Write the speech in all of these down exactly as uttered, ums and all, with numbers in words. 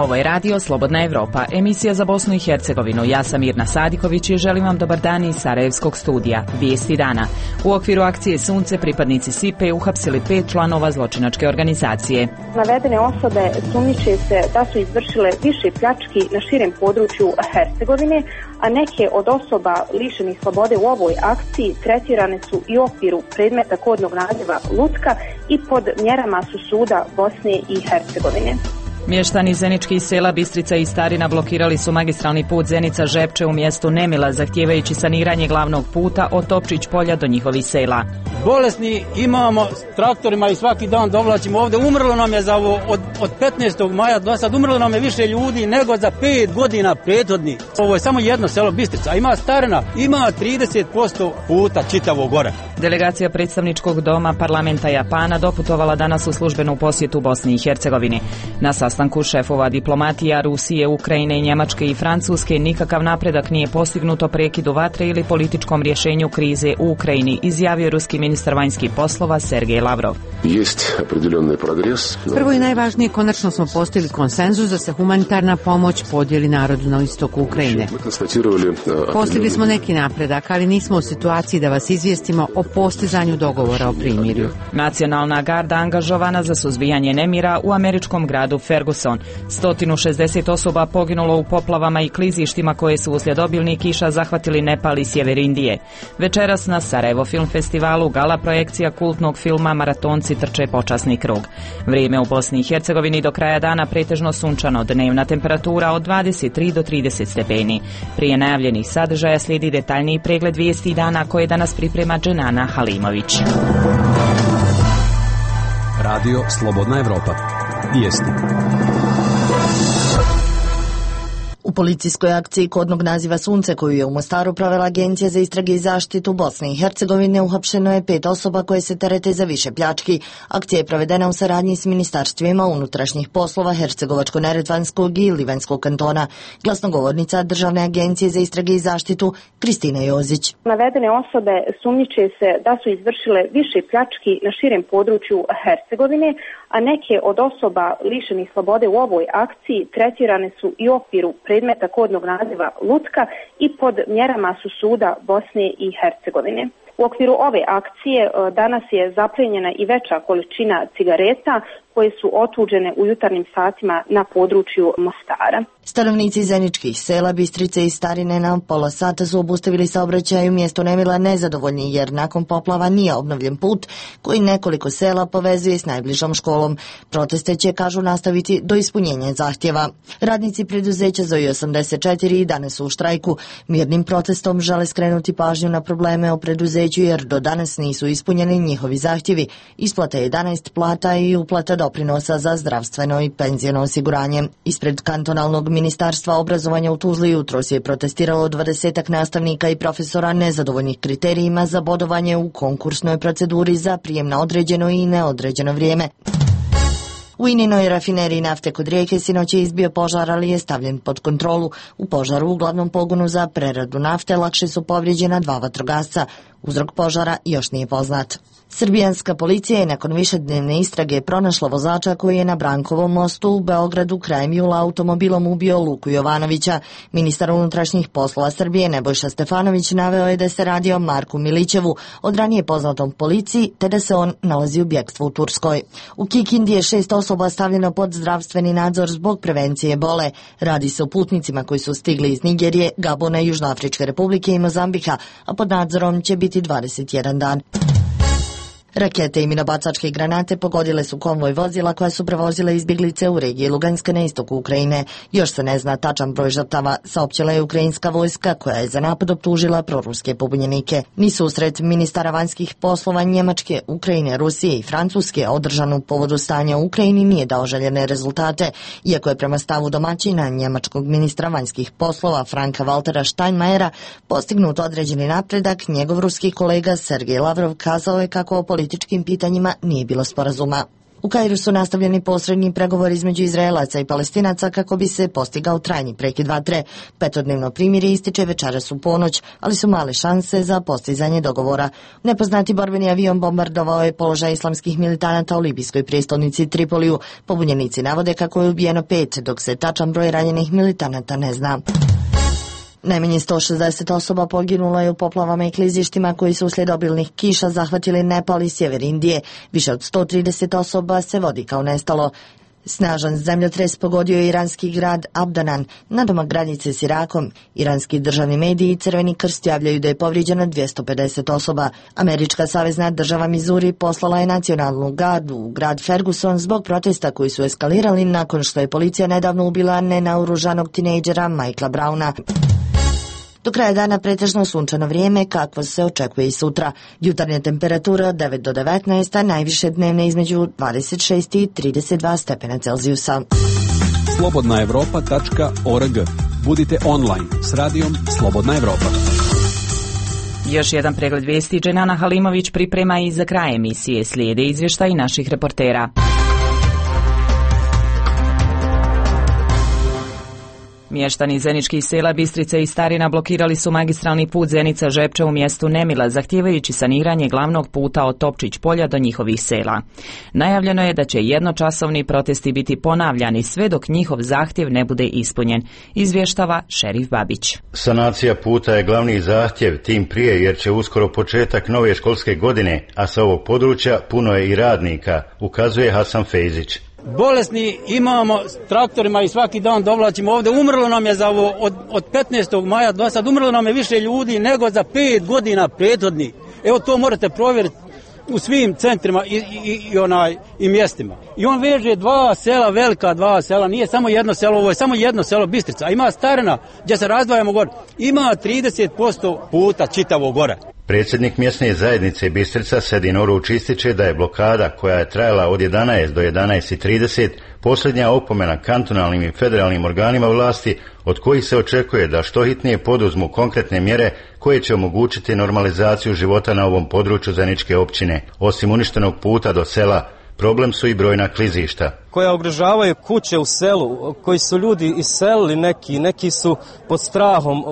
Ovo je radio Slobodna Evropa, emisija za Bosnu i Hercegovinu. Ja sam Mirna Sadiković i želim vam dobar dan iz Sarajevskog studija. Vijesti dana. U okviru akcije Sunce pripadnici S I P E uhapsili pet članova zločinačke organizacije. Navedene osobe sumnjiče se da su izvršile više pljački na širem području Hercegovine, a neke od osoba lišenih slobode u ovoj akciji tretirane su i u okviru predmeta kodnog naziva lutka i pod mjerama su suda Bosne i Hercegovine. Mještani zeničkih sela Bistrica i Starina blokirali su magistralni put Zenica-Žepče u mjestu Nemila, zahtijevajući saniranje glavnog puta od Topčić polja do njihovih sela. Bolesni imamo s traktorima i svaki dan dovlačimo ovdje. Umrlo nam je za ovo, od, od petnaestog maja do sad umrlo nam je više ljudi nego za pet godina prethodni. Ovo je samo jedno selo Bistrica, a ima Starina, ima trideset posto puta čitavog gore. Delegacija predstavničkog doma parlamenta Japana doputovala danas u službenu posjetu Bosni i Hercegovini. Na sastanku šefova diplomatija Rusije, Ukrajine, Njemačke i Francuske nikakav napredak nije postignut o prekidu vatre ili političkom rješenju krize u Ukrajini, izjavio ruski ministar vanjskih poslova Sergej Lavrov. Prvo i najvažnije, konačno smo postigli konsenzus da se humanitarna pomoć podijeli narodu na istoku Ukrajine. Postigli smo neki napredak, ali nismo u situaciji da vas izvijestimo o postizanju dogovora o primirju. Nacionalna garda angažovana za suzbijanje nemira u američkom gradu Ferguson. sto šezdeset osoba poginulo u poplavama i klizištima koje su uslijed obilnih kiša zahvatili Nepal i sjever Indije. Večeras na Sarajevo Film Festivalu gala projekcija kultnog filma Maratonci trče počasni krug. Vrijeme u Bosni i Hercegovini do kraja dana pretežno sunčano, dnevna temperatura od dvadeset tri do trideset stepeni. Prije najavljenih sadržaja slijedi detaljniji pregled vijesti dana koje danas priprema Dženana Halimović. Radio Slobodna Evropa. Vijesti. U policijskoj akciji kodnog naziva Sunce, koju je u Mostaru provela Agencija za istrage i zaštitu Bosne i Hercegovine, uhapšeno je pet osoba koje se terete za više pljački. Akcija je provedena u saradnji s ministarstvima unutrašnjih poslova Hercegovačko-neretvanskog i Livanjskog kantona. Glasnogovornica Državne agencije za istrage i zaštitu Kristina Jozić. Navedene osobe sumnjiče se da su izvršile više pljački na širem području Hercegovine, a neke od osoba lišenih slobode u ovoj akciji tretirane su i u okviru predmeta kodnog naziva lutka i pod mjerama su suda Bosne i Hercegovine. U okviru ove akcije danas je zaplijenjena i veća količina cigareta koje su otuđene u jutarnjim satima na području Mostara. Stanovnici zeničkih sela Bistrice i Starine na pola sata su obustavili saobraćaj u mjestu Nemila nezadovoljni jer nakon poplava nije obnovljen put koji nekoliko sela povezuje s najbližom školom. Proteste će, kažu, nastaviti do ispunjenja zahtjeva. Radnici preduzeća Zoji osamdeset četiri i danas su u štrajku. Mirnim protestom žele skrenuti pažnju na probleme o preduzeću jer do danas nisu ispunjeni njihovi zahtjevi. Isplata jedanaest plata i uplata doprinosa za zdravstveno i penzijno osiguranje. Ispred kantonalnog Ministarstva obrazovanja u Tuzli jutros je protestiralo dvadesetak nastavnika i profesora nezadovoljnih kriterijima za bodovanje u konkursnoj proceduri za prijem na određeno i neodređeno vrijeme. U Ininoj rafineriji nafte kod Rijeke sinoć je izbio požar, ali je stavljen pod kontrolu. U požaru u glavnom pogonu za preradu nafte lakše su povrijeđena dva vatrogasca. Uzrok požara još nije poznat. Srbijanska policija je nakon višednevne istrage pronašla vozača koji je na Brankovom mostu u Beogradu krajem jula automobilom ubio Luku Jovanovića. Ministar unutrašnjih poslova Srbije Nebojša Stefanović naveo je da se radi o Marku Milićevu, od ranije poznatom policiji, te da se on nalazi u bjegstvu u Turskoj. U Kikindi je šest osoba stavljeno pod zdravstveni nadzor zbog prevencije bole. Radi se o putnicima koji su stigli iz Nigerije, Gabona, Južnoafričke republike i Mozambika, a pod nadzorom će biti dvadeset jedan dan. Rakete i minobacačke granate pogodile su konvoj vozila koja su prevozile izbjeglice u regiji Luganska na istoku Ukrajine. Još se ne zna tačan broj žrtava, saopćila je ukrajinska vojska koja je za napad optužila proruske pobunjenike. Ni susret ministara vanjskih poslova Njemačke, Ukrajine, Rusije i Francuske održan u povodu stanja u Ukrajini nije dao željene rezultate, iako je prema stavu domaćina njemačkog ministra vanjskih poslova Franka Waltera Steinmeiera postignut određeni napredak. Njegov ruski kolega Sergej Lavrov kazao je kako o političkim pitanjima nije bilo sporazuma. U Kairu su nastavljeni posredni pregovori između Izraelaca i Palestinaca kako bi se postigao trajni prekid vatre. Petodnevno primirje ističe večeras u ponoć, ali su male šanse za postizanje dogovora. Nepoznati borbeni avion bombardovao je položaj islamskih militanata u libijskoj prijestolnici Tripoliju. Pobunjenici navode kako je ubijeno pet, dok se tačan broj ranjenih militanata ne zna. Najmanje sto šezdeset osoba poginulo je u poplavama i klizištima koji su uslijed obilnih kiša zahvatili Nepal i sjever Indije. Više od sto trideset osoba se vodi kao nestalo. Snažan zemljotres pogodio je iranski grad Abdanan, nadomak granice s Irakom. Iranski državni mediji i Crveni krst javljaju da je povrijeđeno dvjesto pedeset osoba. Američka savezna država Missouri poslala je nacionalnu gardu u grad Ferguson zbog protesta koji su eskalirali nakon što je policija nedavno ubila nenaoružanog tinejdžera Michaela Browna. Do kraja dana pretežno sunčano vrijeme, kakvo se očekuje i sutra. Jutarnja temperatura od devet do devetnaest, a najviše dnevne između dvadeset šest i trideset dva stepena Celzijusa. slobodna evropa tačka org. Budite online s radijom Slobodna Evropa. Još jedan pregled vijesti Dženana Halimović priprema i za kraj emisije. Slijede izvještaji naših reportera. Mještani zeničkih sela Bistrice i Starina blokirali su magistralni put Zenica-Žepče u mjestu Nemila, zahtijevajući saniranje glavnog puta od Topčić polja do njihovih sela. Najavljeno je da će jednočasovni protesti biti ponavljani sve dok njihov zahtjev ne bude ispunjen, izvještava Šerif Babić. Sanacija puta je glavni zahtjev, tim prije jer će uskoro početak nove školske godine, a sa ovog područja puno je i radnika, ukazuje Hasan Fejzić. Bolesni imamo s traktorima i svaki dan dovlačimo ovdje. Umrlo nam je za ovo, od, od petnaestog maja do sad, umrlo nam je više ljudi nego za pet godina prethodni. Evo to morate provjeriti u svim centrima i, i, i, onaj, i mjestima. I on veže dva sela, velika dva sela, nije samo jedno selo, ovo je samo jedno selo Bistrica. A ima Starina gdje se razdvajamo gore, ima trideset posto puta čitavo gore. Predsjednik mjesne zajednice Bistrica Sedin Oruč ističe da je blokada koja je trajala od jedanaest do jedanaest i trideset posljednja opomena kantonalnim i federalnim organima vlasti od kojih se očekuje da što hitnije poduzmu konkretne mjere koje će omogućiti normalizaciju života na ovom području Zeničke općine. Osim uništenog puta do sela, problem su i brojna klizišta koja ugrožavaju kuće u selu, koji su ljudi iselili, neki, neki su pod strahom,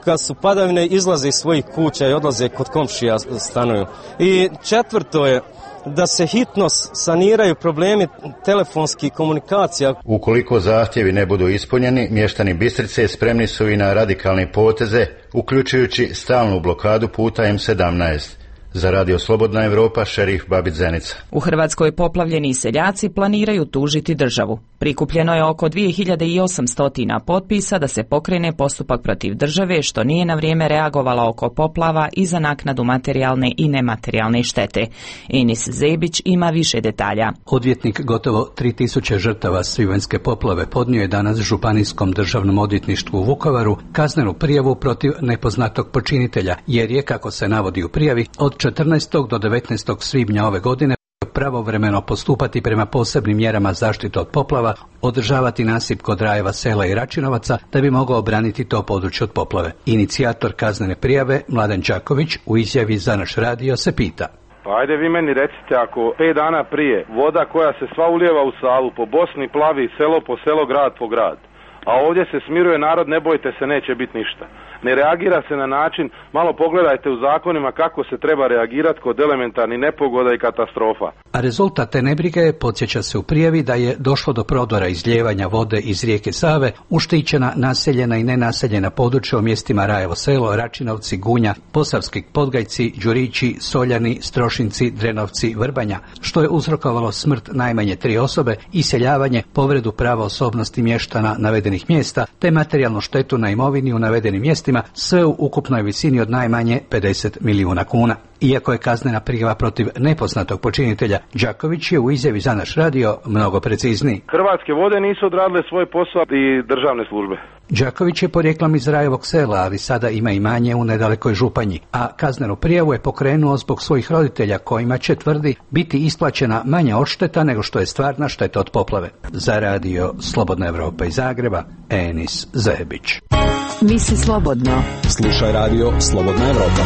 kad su padavine izlaze iz svojih kuća i odlaze kod komšija stanuju. I četvrto je da se hitno saniraju problemi telefonskih komunikacija. Ukoliko zahtjevi ne budu ispunjeni, mještani Bistrice spremni su i na radikalne poteze, uključujući stalnu blokadu puta em sedamnaest. Za Radio Slobodna Evropa, Šerif Babić Zenica. U Hrvatskoj poplavljeni seljaci planiraju tužiti državu. Prikupljeno je oko dvije hiljade osamsto potpisa da se pokrene postupak protiv države, što nije na vrijeme reagovala oko poplava i za naknadu materijalne i nematerijalne štete. Enis Zebić ima više detalja. Odvjetnik gotovo tri tisuće žrtava svibanjske poplave podnio je danas Županijskom državnom odvjetništvu u Vukovaru kaznenu prijavu protiv nepoznatog počinitelja, jer je, kako se navodi u prijavi, od četrnaestog do devetnaestog svibnja ove godine pravovremeno postupati prema posebnim mjerama zaštite od poplava, održavati nasip kod Rajeva sela i Račinovaca da bi mogao obraniti to područje od poplave. Inicijator kaznene prijave, Mladen Đaković, u izjavi za naš radio se pita. Pa ajde vi meni recite, ako pet dana prije voda koja se sva ulijeva u Savu po Bosni plavi selo po selo, grad po grad, a ovdje se smiruje narod, ne bojte se, neće biti ništa. Ne reagira se na način, malo pogledajte u zakonima kako se treba reagirati kod elementarnih nepogoda i katastrofa. A rezultat te nebrige, podsjeća se u prijavi, da je došlo do prodora izljevanja vode iz rijeke Save u štićena, naseljena i nenaseljena područja u mjestima Rajevo selo, Račinovci, Gunja, Posavski Podgajci, Đurići, Soljani, Strošinci, Drenovci, Vrbanja, što je uzrokovalo smrt najmanje tri osobe, iseljavanje, povredu prava osobnosti mještana navedenih mjesta, te materijalnu štetu na imovini u navedenim mjestima, sve u ukupnoj visini od najmanje pedeset milijuna kuna. Iako je kaznena prijava protiv nepoznatog počinitelja, Đaković je u izjavi za naš radio mnogo precizniji. Hrvatske vode nisu odradile svoj posao i državne službe. Đaković je porijeklom iz Rajevog sela, ali sada ima imanje u nedalekoj Županji, a kaznenu prijavu je pokrenuo zbog svojih roditelja kojima će, tvrdi, biti isplaćena manja odšteta nego što je stvarna šteta od poplave. Za radio Slobodna Evropa iz Zagreba, Enis Zebić. Misli slobodno. Slušaj radio Slobodna Evropa.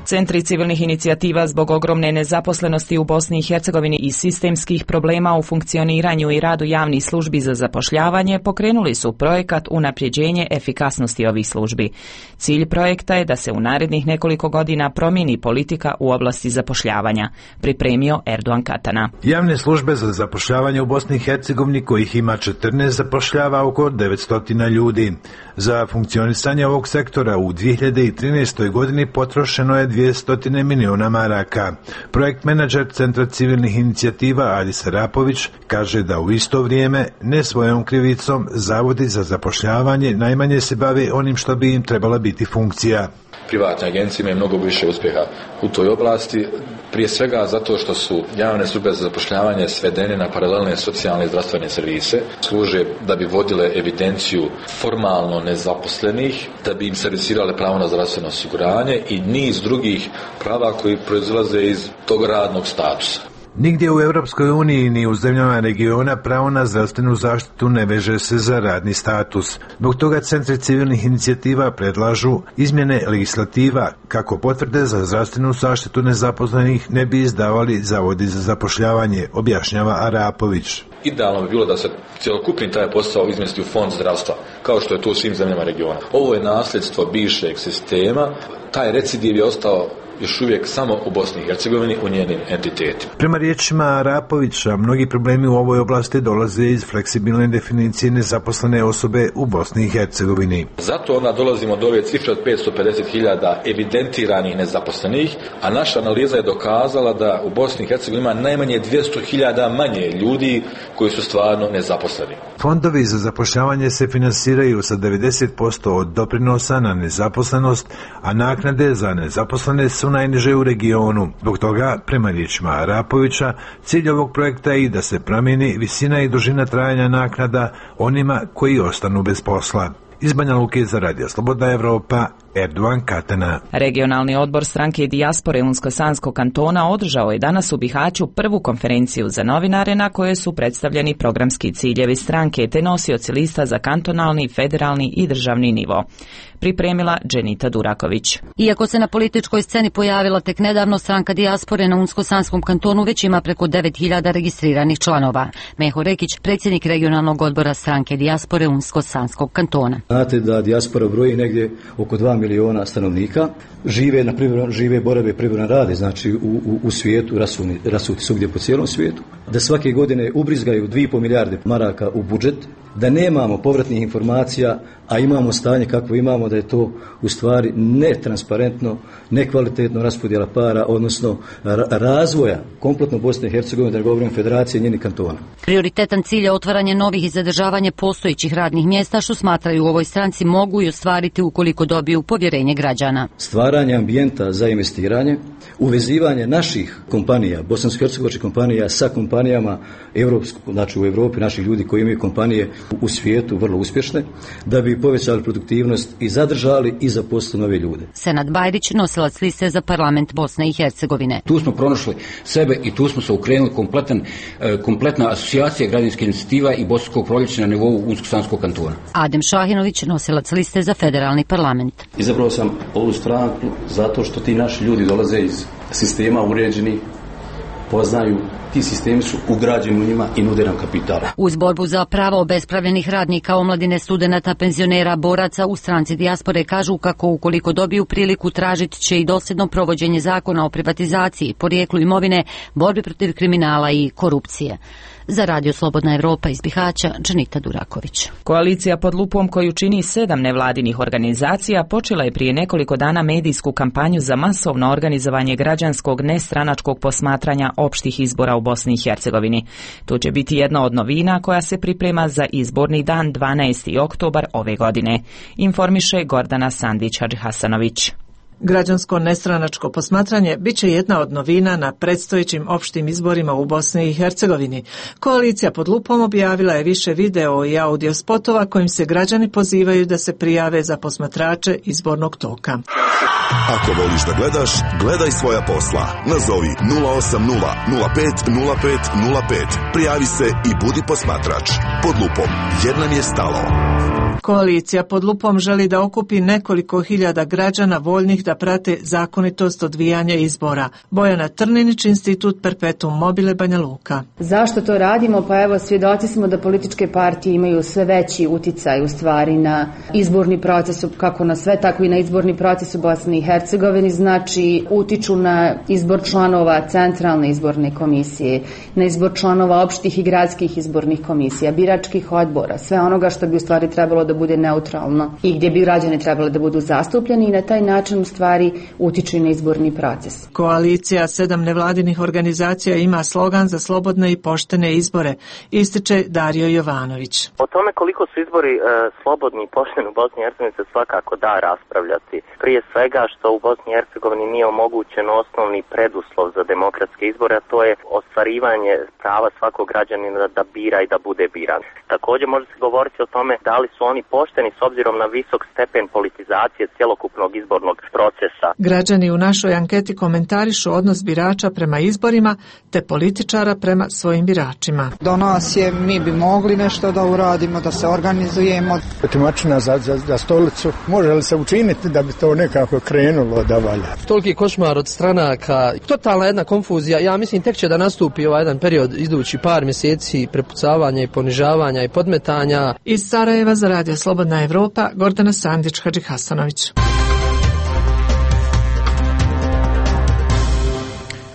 Centri civilnih inicijativa zbog ogromne nezaposlenosti u Bosni i Hercegovini i sistemskih problema u funkcioniranju i radu javnih službi za zapošljavanje pokrenuli su projekat unapređenje efikasnosti ovih službi. Cilj projekta je da se u narednih nekoliko godina promijeni politika u oblasti zapošljavanja, pripremio Erdogan Katana. Javne službe za zapošljavanje u Bosni i Hercegovini, kojih ima četrnaest, zapošljava oko devetsto ljudi. Za funkcionisanje ovog sektora u dvije hiljade trinaestoj godini potrošeno je dvjesto miliona maraka. Projekt menadžer Centra civilnih inicijativa Adis Arapović kaže da u isto vrijeme, ne svojom krivicom, zavodi za zapošljavanje najmanje se bave onim što bi im trebala biti funkcija. Privatne agencije imaju mnogo više uspjeha u toj oblasti, prije svega zato što su javne službe za zapošljavanje svedene na paralelne socijalne i zdravstvene servise, služe da bi vodile evidenciju formalno nezaposlenih, da bi im servisirale pravo na zdravstveno osiguranje i niz drugih prava koji proizilaze iz tog radnog statusa. Nigdje u Europskoj uniji ni u zemljama regiona pravo na zdravstvenu zaštitu ne veže se za radni status. Zbog toga centri civilnih inicijativa predlažu izmjene legislativa kako potvrde za zdravstvenu zaštitu nezaposlenih ne bi izdavali zavodi za zapošljavanje, objašnjava Arapović. Idealno bi bilo da se cjelokupni taj posao izmjesti u fond zdravstva, kao što je to u svim zemljama regiona. Ovo je nasljedstvo bivšeg sistema, taj recidiv je ostao još uvijek samo u Bosni i Hercegovini, u njenim entitetima. Prema riječima Arapovića, mnogi problemi u ovoj oblasti dolaze iz fleksibilne definicije nezaposlene osobe u Bosni i Hercegovini. Zato onda dolazimo do ove cifre od petsto pedeset hiljada evidentiranih nezaposlenih, a naša analiza je dokazala da u Bosni i Hercegovini ima najmanje dvjesto hiljada manje ljudi koji su stvarno nezaposleni. Fondovi za zapošljavanje se finansiraju sa devedeset posto od doprinosa na nezaposlenost, a naknade za nezaposlene su najniže u regionu. Zbog toga, prema riječima Arapovića, cilj ovog projekta je i da se promijeni visina i dužina trajanja naknada onima koji ostanu bez posla. Iz Banja Luke za Radio Slobodna Evropa, Erdogan Katana. Regionalni odbor stranke dijaspore Unsko-Sanskog kantona održao je danas u Bihaću prvu konferenciju za novinare na kojoj su predstavljeni programski ciljevi stranke te nosioci lista za kantonalni, federalni i državni nivo. Pripremila Dženita Duraković. Iako se na političkoj sceni pojavila tek nedavno, stranka dijaspore na Unsko-Sanskom kantonu već ima preko devet hiljada registriranih članova. Meho Rekić, predsjednik regionalnog odbora stranke dijaspore Unsko-Sanskog kantona. Znate da dijaspora broji negdje oko dva miliona stanovnika, žive na privremen, žive borave privremen rade, znači u, u, u svijetu, rasuni, rasuti svugdje po cijelom svijetu, da svake godine ubrizgaju dvije i pol milijarde maraka u budžet, da nemamo povratnih informacija, a imamo stanje kakvo imamo, da je to u stvari netransparentno, nekvalitetno raspodjela para, odnosno razvoja kompletno Bosne i Hercegovine, da ne govorim Federacije i njenih kantona. Prioritetan cilj je otvaranje novih i zadržavanje postojećih radnih mjesta, što smatraju u ovoj stranci mogu i ostvariti ukoliko dobiju povjerenje građana. Stvaranje ambijenta za investiranje, uvezivanje naših kompanija, bosansko-hercegovačkih kompanija sa kompanijama evropskog, znači u Europi, naših ljudi koji imaju kompanije u svijetu vrlo uspješne, da bi povećali produktivnost i zadržali i zaposlili nove ljude. Senad Bajrić, nosilac liste za parlament Bosne i Hercegovine. Tu smo pronašli sebe i tu smo se ukrenuli kompletan, kompletna asocijacija građanskih inicijativa i Bosanskog proljeća na nivou Unsko-Sanskog kantona. Adem Šahinović, nosilac liste za federalni parlament. Izabrao sam ovu stranku zato što ti naši ljudi dolaze iz sistema uređenih, poznaju, ti sistemi su ugrađeni u njima i nude nam kapital. Uz borbu za prava obespravljenih radnika, omladine, studenata, penzionera, boraca u stranci dijaspore kažu kako ukoliko dobiju priliku tražit će i dosljedno provođenje zakona o privatizaciji, porijeklu imovine, borbi protiv kriminala i korupcije. Za Radio Slobodna Evropa iz Bihaća, Dženita Duraković. Koalicija pod lupom koju čini sedam nevladinih organizacija počela je prije nekoliko dana medijsku kampanju za masovno organizovanje građanskog nestranačkog posmatranja opštih izbora u Bosni i Hercegovini. To će biti jedna od novina koja se priprema za izborni dan dvanaesti oktobar ove godine, informiše Gordana Sandić-Hadžihasanović. Građansko nestranačko posmatranje bit će jedna od novina na predstojećim opštim izborima u Bosni i Hercegovini. Koalicija pod lupom objavila je više video i audio spotova kojim se građani pozivaju da se prijave za posmatrače izbornog toka. Ako voliš da gledaš, gledaj svoja posla. Nazovi nula osam nula nula pet nula pet nula pet. Prijavi se i budi posmatrač. Pod lupom, jer nam je stalo. Koalicija pod lupom želi da okupi nekoliko hiljada građana voljnih da prate zakonitost odvijanja izbora. Bojana Trninić, Institut Perpetuum Mobile, Banja Luka. Zašto to radimo? Pa evo, svjedoci smo da političke partije imaju sve veći uticaj u stvari na izborni proces, kako na sve, tako i na izborni proces u Bosni i Hercegovini, znači utiču na izbor članova centralne izborne komisije, na izbor članova opštih i gradskih izbornih komisija, biračkih odbora, sve onoga što bi u stvari trebalo da bude neutralno i gdje bi građani trebali da budu zastupljeni i na taj način u stvari utiču na izborni proces. Koalicija sedam nevladinih organizacija ima slogan za slobodne i poštene izbore, ističe Dario Jovanović. O tome koliko su izbori e, slobodni i pošteni u Bosni i Hercegovini se svakako da raspravljati. Prije svega što u Bosni i Hercegovini nije omogućen osnovni preduslov za demokratske izbore, a to je ostvarivanje prava svakog građanina da bira i da bude biran. Također može se govoriti o tome da li su oni pošteni s obzirom na visok stepen politizacije cjelokupnog izbornog procesa. Građani u našoj anketi komentarišu odnos birača prema izborima te političara prema svojim biračima. Do nas je, mi bi mogli nešto da uradimo, da se organizujemo. Otimačina za, za, za stolicu, može li se učiniti da bi to nekako krenulo da valja? Toliki košmar od stranaka, totalna jedna konfuzija. Ja mislim tek će da nastupi ovaj jedan period idući par mjeseci prepucavanja i ponižavanja i podmetanja. Iz Sarajeva za Radio Slobodna Evropa, Gordana Sandić, Hadži Hasanović.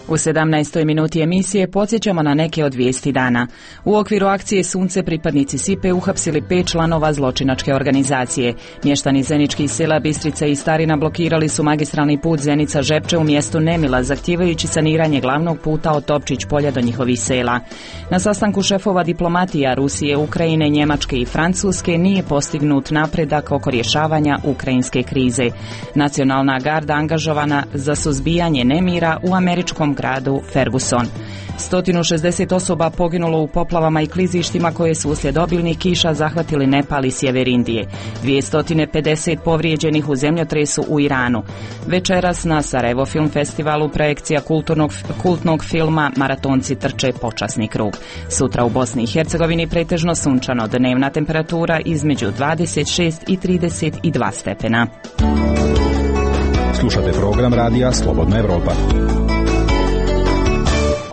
U sedamnaestoj minuti emisije podsjećamo na neke od vijesti dana. U okviru akcije Sunce pripadnici Sipe uhapsili pet članova zločinačke organizacije. Mještani zeničkih sela Bistrica i Starina blokirali su magistralni put Zenica-Žepče u mjestu Nemila, zahtijevajući saniranje glavnog puta od Topčić polja do njihovih sela. Na sastanku šefova diplomatija Rusije, Ukrajine, Njemačke i Francuske nije postignut napredak oko rješavanja ukrajinske krize. Nacionalna garda angažovana za suzbijanje nemira u američkom gradu Ferguson. sto šezdeset osoba poginulo u poplavama i klizištima koje su uslijed obilnih kiša zahvatili Nepal i sjever Indije. dvjesto pedeset povrijeđenih u zemljotresu u Iranu. Večeras na Sarajevo Film Festivalu projekcija kulturnog, kultnog filma Maratonci trče počasni krug. Sutra u Bosni i Hercegovini pretežno sunčano, dnevna temperatura između dvadeset šest i trideset dva stepena. Slušate program radija Slobodna Evropa.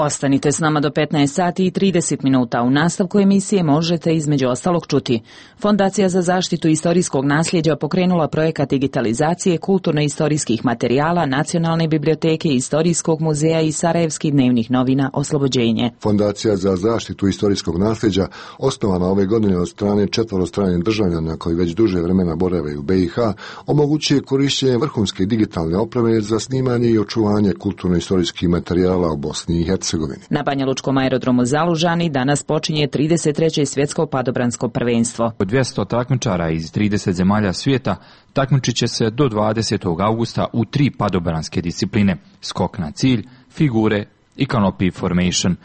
Ostanite s nama do petnaest sati i trideset minuta. U nastavku emisije možete između ostalog čuti. Fondacija za zaštitu istorijskog nasljeđa pokrenula projekat digitalizacije kulturno-istorijskih materijala Nacionalne biblioteke, Istorijskog muzeja i Sarajevskih dnevnih novina Oslobođenje. Fondacija za zaštitu istorijskog nasljeđa, osnovana ove godine od strane četvorostranih državljana koji već duže vremena borave u be i ha, omogućuje korištenje vrhunske digitalne opreme za snimanje i očuvanje kulturno-istorijskih materijala u Bosni i Hercegovini. Na Banjalučkom aerodromu Zalužani danas počinje trideset treće svjetsko padobransko prvenstvo. dvjesto takmičara iz trideset zemalja svijeta takmičit će se do dvadesetog augusta u tri padobranske discipline: skok na cilj, figure i canopy formation.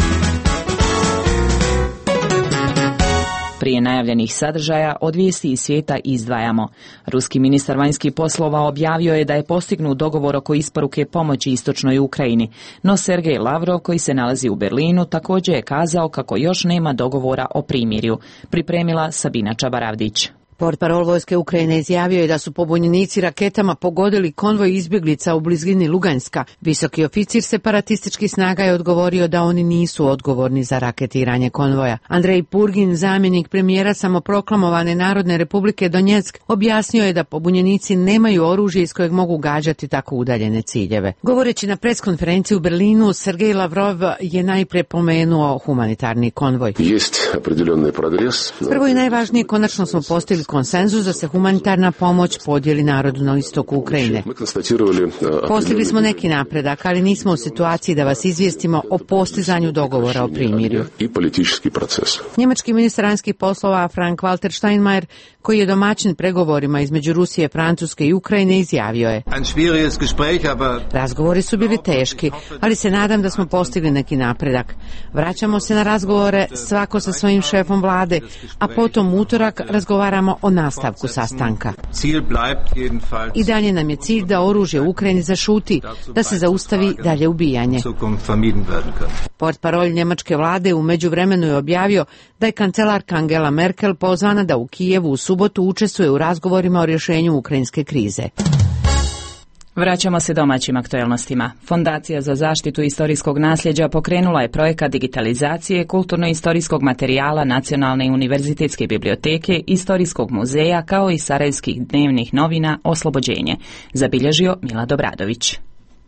Prije najavljenih sadržaja od vijesti iz svijeta izdvajamo. Ruski ministar vanjskih poslova objavio je da je postignut dogovor oko isporuke pomoći istočnoj Ukrajini, no Sergej Lavrov, koji se nalazi u Berlinu, također je kazao kako još nema dogovora o primirju. Pripremila Sabina Čabaravdić. Portparol vojske Ukrajine izjavio je da su pobunjenici raketama pogodili konvoj izbjeglica u blizini Luganska. Visoki oficir separatističkih snaga je odgovorio da oni nisu odgovorni za raketiranje konvoja. Andrej Purgin, zamjenik premijera samoproklamovane Narodne republike Donjeck, objasnio je da pobunjenici nemaju oružje iz kojeg mogu gađati tako udaljene ciljeve. Govoreći na preskonferenciji u Berlinu, Sergej Lavrov je najprije pomenuo humanitarni konvoj. Prvo i najvažnije, konačno smo postigli konsenzus da se humanitarna pomoć podijeli narodu na istoku Ukrajine. Postigli smo neki napredak, ali nismo u situaciji da vas izvijestimo o postizanju dogovora o primirju. Njemački ministar vanjskih poslova Frank-Walter Steinmeier, koji je domaćin pregovorima između Rusije, Francuske i Ukrajine, izjavio je: razgovori su bili teški, ali se nadam da smo postigli neki napredak. Vraćamo se na razgovore svako sa svojim šefom vlade, a potom utorak razgovaramo ćemo o nastavku sastanka. I dalje nam je cilj da oružje u Ukrajini zašuti, da se zaustavi dalje ubijanje. Portparolj njemačke vlade u međuvremenu je objavio da je kancelarka Angela Merkel pozvana da u Kijevu u subotu učestvuje u razgovorima o rješenju ukrajinske krize. Vraćamo se domaćim aktuelnostima. Fondacija za zaštitu istorijskog nasljeđa pokrenula je projekat digitalizacije kulturno-istorijskog materijala Nacionalne i univerzitetske biblioteke, Istorijskog muzeja kao i Sarajevskih dnevnih novina Oslobođenje, zabilježio Milad Obradović.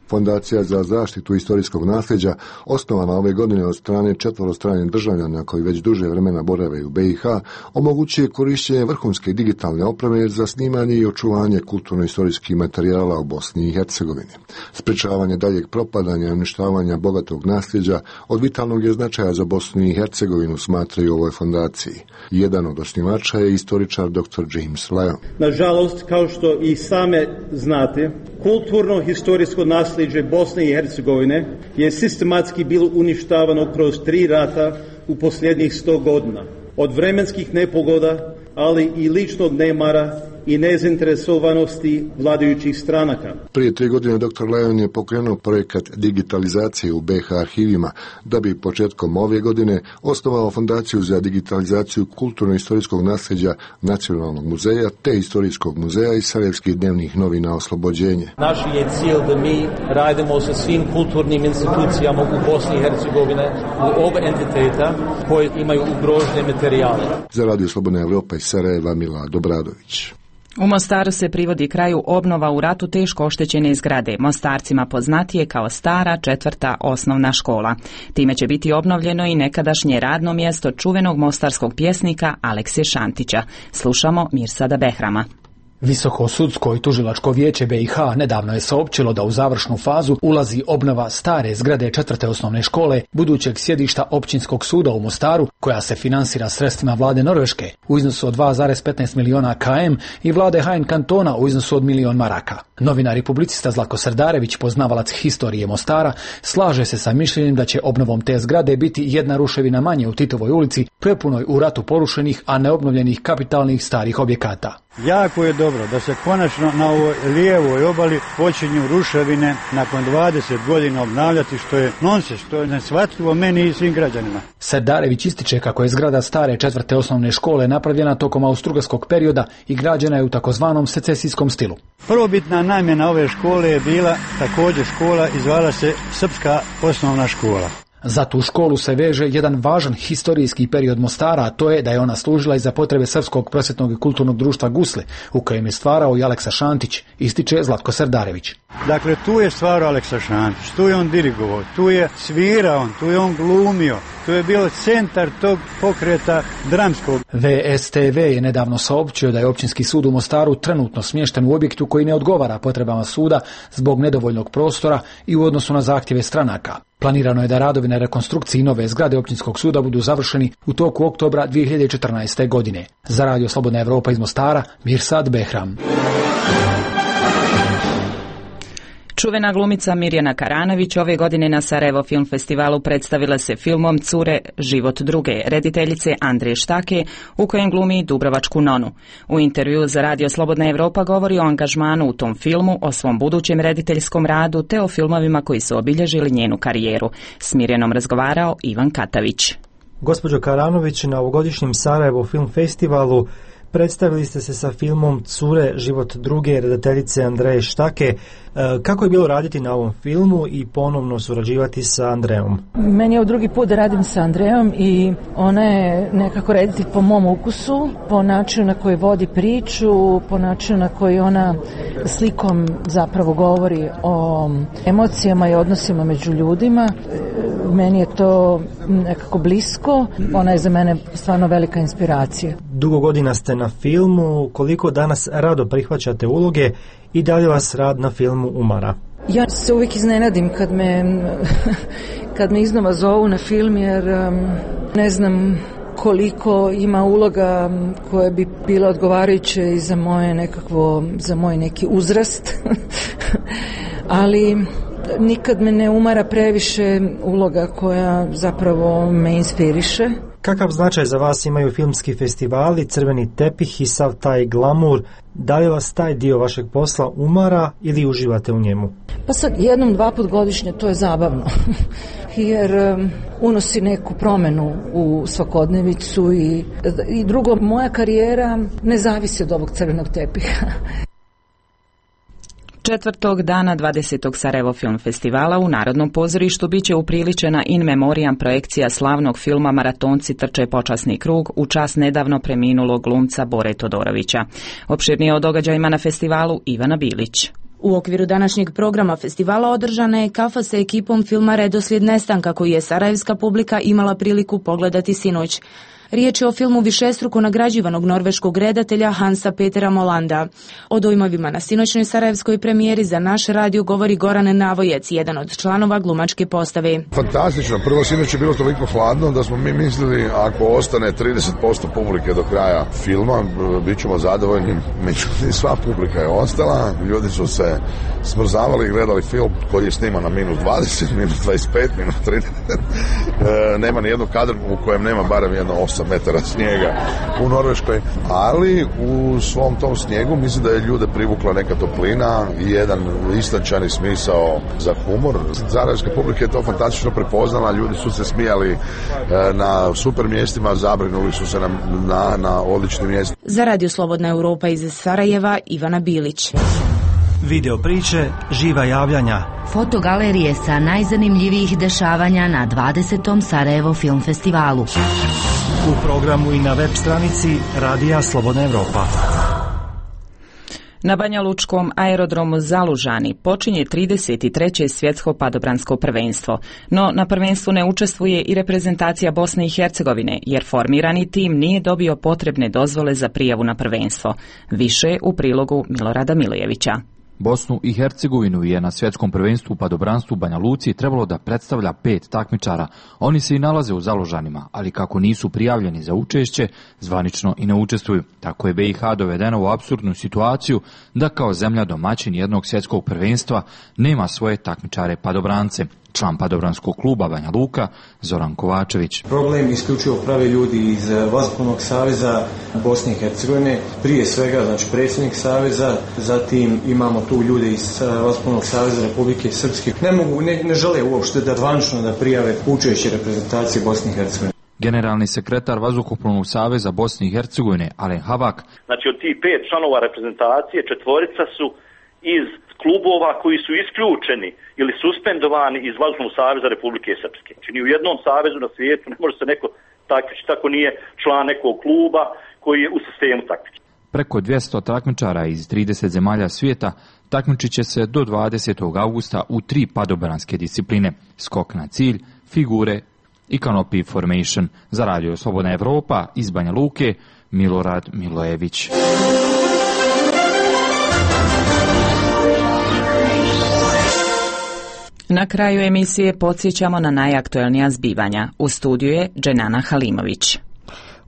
Fondacija za zaštitu istorijskog nasljeđa, osnovana ove godine od strane četvorostranih državljana koji već duže vremena borave u B i H, omogućuje korištenje vrhunske digitalne opreme za snimanje i očuvanje kulturno-istorijskih materijala u Bosni i Hercegovini. Sprečavanje daljeg propadanja i uništavanja bogatog nasljeđa od vitalnog je značaja za Bosnu i Hercegovinu, smatraju u ovoj fondaciji. Jedan od osnivača je istoričar doktor James Lyon. Nažalost, kao što i same znate, kulturno-historijsko nasljeđe Bosne i Hercegovine je sistematski bilo uništavano kroz tri rata u posljednjih sto godina. Od vremenskih nepogoda, ali i ličnog nemara i nezainteresovanosti vladajućih stranaka. Prije tri godine doktor Lyon je pokrenuo projekat digitalizacije u B H arhivima, da bi početkom ove godine osnovao fondaciju za digitalizaciju kulturno-istorijskog nasljeđa Nacionalnog muzeja te Istorijskog muzeja i Sarajevskih dnevnih novina Oslobođenje. Naš je cilj da mi radimo sa svim kulturnim institucijama u Bosni i Hercegovine, u oba entiteta koji imaju ugrožene materijale. Za Radio Slobodna Evropa iz Sarajeva, Milad Obradović. U Mostaru se privodi kraju obnova u ratu teško oštećene zgrade, Mostarcima poznatije kao stara četvrta osnovna škola. Time će biti obnovljeno i nekadašnje radno mjesto čuvenog mostarskog pjesnika Alekse Šantića. Slušamo Mirsada Behrama. Visoko sudsko i tužilačko vijeće B i H nedavno je saopćilo da u završnu fazu ulazi obnova stare zgrade četvrte osnovne škole, budućeg sjedišta općinskog suda u Mostaru, koja se finansira sredstvima vlade Norveške u iznosu od dva zarez petnaest miliona km i vlade Hain kantona u iznosu od milion maraka. Novinar i publicista Zlatko Srdarević, poznavalac historije Mostara, slaže se sa mišljenjem da će obnovom te zgrade biti jedna ruševina manje u Titovoj ulici, prepunoj u ratu porušenih, a neobnovljenih kapitalnih starih objekata. Jako je dobro da se konačno na ovoj lijevoj obali počinju ruševine nakon dvadeset godina obnavljati, što je nonsens, što je neshvatljivo meni i svim građanima. Srdarević ističe kako je zgrada stare četvrte osnovne škole napravljena tokom austrougarskog perioda i građena je u takozvanom secesijskom stilu. Prvobitna namjena ove škole je bila također škola i zvala se Srpska osnovna škola. Za tu školu se veže jedan važan historijski period Mostara, a to je da je ona služila i za potrebe Srpskog prosvjetnog i kulturnog društva Gusle, u kojem je stvarao i Aleksa Šantić, ističe Zlatko Srdarević. Dakle, tu je stvarao Aleksa Šantić, tu je on dirigovao, tu je svirao, tu je on glumio, tu je bio centar tog pokreta dramskog. V S T V je nedavno saopćio da je općinski sud u Mostaru trenutno smješten u objektu koji ne odgovara potrebama suda zbog nedovoljnog prostora i u odnosu na zahtjeve stranaka. Planirano je da radovi na rekonstrukciji nove zgrade općinskog suda budu završeni u toku oktobra dvije hiljade četrnaeste. godine. Za Radio Slobodna Evropa iz Mostara, Mirsad Behram. Čuvena glumica Mirjana Karanović ove godine na Sarajevo Film Festivalu predstavila se filmom Cure, život druge, rediteljice Andreje Štake, u kojem glumi Dubrovačku nonu. U intervju za Radio Slobodna Evropa govori o angažmanu u tom filmu, o svom budućem rediteljskom radu te o filmovima koji su obilježili njenu karijeru. S Mirjanom razgovarao Ivan Katavić. Gospođo Karanović, na ovogodišnjem Sarajevo Film Festivalu predstavili ste se sa filmom Cure, život druge, redateljice Andreje Štake. Kako je bilo raditi na ovom filmu i ponovno surađivati sa Andrejom? Meni je ovo drugi put da radim sa Andrejom i ona je nekako reditelj po mom ukusu, po načinu na koji vodi priču, po načinu na koji ona slikom zapravo govori o emocijama i odnosima među ljudima. Meni je to nekako blisko, ona je za mene stvarno velika inspiracija. Dugo godina ste na filmu, koliko danas rado prihvaćate uloge i da li vas rad na filmu umara? Ja se uvijek iznenadim kad me, kad me iznova zovu na film, jer ne znam koliko ima uloga koje bi bilo odgovarajuće i za moje nekakvo, za moj neki uzrast, ali nikad me ne umara previše uloga koja zapravo me inspiriše. Kakav značaj za vas imaju filmski festivali, crveni tepih i sav taj glamur? Da li vas taj dio vašeg posla umara ili uživate u njemu? Pa sad jednom, dva put godišnje to je zabavno, jer um, unosi neku promjenu u svakodnevicu i, i drugo, moja karijera ne zavisi od ovog crvenog tepiha. Četvrtog dana dvadesetog Sarajevo Film Festivala u Narodnom pozorištu biće upriličena in memoriam projekcija slavnog filma Maratonci trče počasni krug u čast nedavno preminulog glumca Bore Todorovića. Opširnije o događajima na festivalu Ivana Bilić. U okviru današnjeg programa festivala održana je kafa sa ekipom filma Redoslijed nestanka koji je sarajevska publika imala priliku pogledati sinoć. Riječ je o filmu višestruko nagrađivanog norveškog redatelja Hansa Petera Molanda. O dojmovima na sinoćnoj sarajevskoj premijeri za naš radio govori Goran Navojec, jedan od članova glumačke postave. Fantastično. Prvo, sinoć je bilo toliko hladno da smo mi mislili ako ostane trideset posto publike do kraja filma, bit ćemo zadovoljni. Međutim, sva publika je ostala. Ljudi su se smrzavali i gledali film koji je sniman na minus dvadeset, minus dvadeset pet, minus trideset. E, nema ni jednog kadra u kojem nema barem jedno osam metara snijega u Norveškoj, ali u svom tom snijegu mislim da je ljude privukla neka toplina i jedan istančani smisao za humor. Sarajevska publika je to fantastično prepoznala, ljudi su se smijali na super mjestima, zabrinuli su se na, na, na odličnim mjestima. Za Radio Slobodna Europa iz Sarajeva, Ivana Bilić. Video priče, živa javljanja. Fotogalerije sa najzanimljivijih dešavanja na dvadesetom Sarajevo Film Festivalu. U programu i na web stranici Radija Slobodna Evropa. Na Banja Lučkom aerodromu Zalužani počinje trideset treće svjetsko padobransko prvenstvo, no na prvenstvu ne učestvuje i reprezentacija Bosne i Hercegovine, jer formirani tim nije dobio potrebne dozvole za prijavu na prvenstvo. Više u prilogu Milorada Milijevića. Bosnu i Hercegovinu je na svjetskom prvenstvu u padobranstvu u Banja Luci trebalo da predstavlja pet takmičara. Oni se i nalaze u Zalužanima, ali kako nisu prijavljeni za učešće, zvanično i ne učestvuju. Tako je B i H dovedena u apsurdnu situaciju da kao zemlja domaćin jednog svjetskog prvenstva nema svoje takmičare padobrance. Član padobranskog kluba Banja Luka, Zoran Kovačević. Problem isključivo prave ljudi iz Vazdušnog saveza Bosne i Hercegovine, prije svega znači predsjednik saveza, zatim imamo tu ljude iz Vazdušnog saveza Republike Srpske. Ne mogu, ne, ne žele uopšte da zvanično da prijave učešće reprezentacije Bosne i Hercegovine. Generalni sekretar Vazduhoplovnog saveza Bosne i Hercegovine, Alen Havak. Znači od tih pet članova reprezentacije četvorica su iz klubova koji su isključeni ili suspendovani iz Vazdušnog saveza Republike Srpske. Znači ni u jednom savezu na svijetu ne može se neko takmičiti tako nije član nekog kluba koji je u sistemu takmičenja. Preko dvjesto takmičara iz trideset zemalja svijeta takmičit će se do dvadesetog augusta u tri padobranske discipline: skok na cilj, figure i canopy formation. Za Radio Slobodna Evropa iz Banja Luke, Milorad Milojević. Na kraju emisije podsjećamo na najaktuelnija zbivanja. U studiju je Dženana Halimović.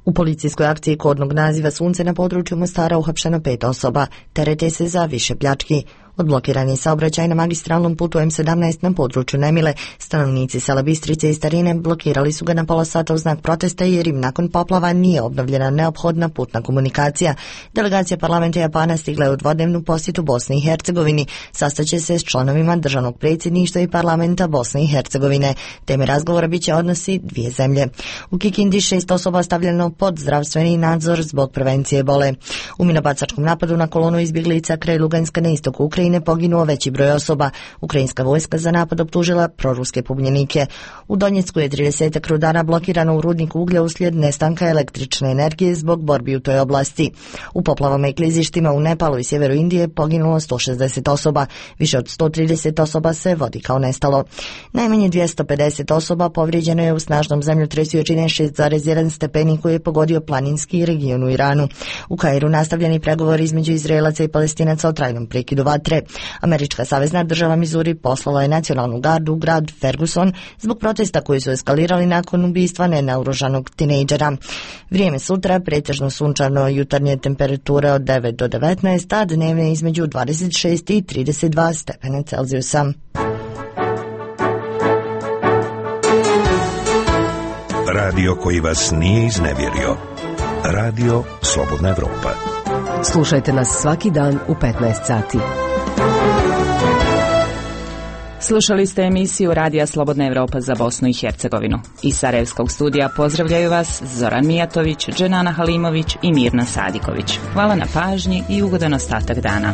U policijskoj akciji kodnog naziva Sunce na području Mostara uhapšeno pet osoba. Terete se za više pljački. Odblokiran je saobraćaj na magistralnom putu M sedamnaest na području Nemile. Stanovnici sela Bistrice i Starine blokirali su ga na pola sata u znak protesta jer im nakon poplava nije obnovljena neophodna putna komunikacija. Delegacija parlamenta Japana stigla je u dvodnevnu posjetu Bosni i Hercegovini. Sastaće se s članovima državnog predsjedništva i parlamenta Bosne i Hercegovine. Teme razgovora biće odnosi dvije zemlje. U Kikindi šest osoba stavljeno pod zdravstveni nadzor zbog prevencije ebole. U minobacačkom napadu na kolonu izbjeglica kraj Luganska na istoku Ukrajine poginuo veći broj osoba. Ukrajinska vojska za napad optužila proruske pobunjenike. U Donjecku je trideset rudara blokirano u rudniku uglja uslijed nestanka električne energije zbog borbi u toj oblasti. U poplavama i klizištima u Nepalu i sjeveru Indije poginulo sto šezdeset osoba. Više od sto trideset osoba se vodi kao nestalo. Najmanje dvjesto pedeset osoba povrijeđeno je u snažnom zemljotresu jačine šest zarez jedan stepeni koji je pogodio planinski region u Iranu. U Kairu nastavljeni pregovori između Izraelaca i Palestinaca o trajnom prekidu vatre. Američka savezna država Missouri poslala je nacionalnu gardu u grad Ferguson zbog protesta koji su eskalirali nakon ubistva nenaoružanog tinejdžera. Vrijeme sutra pretežno sunčano, jutarnje temperature od devet do devetnaest, a dnevne između dvadeset šest i trideset dva stepena Celzijusa. Radio koji vas nije iznevjerio. Radio Slobodna Evropa. Slušajte nas svaki dan u petnaest sati. Slušali ste emisiju Radija Slobodna Evropa za Bosnu i Hercegovinu. Iz Sarajevskog studija pozdravljaju vas Zoran Mijatović, Dženana Halimović i Mirna Sadiković. Hvala na pažnji i ugodan ostatak dana.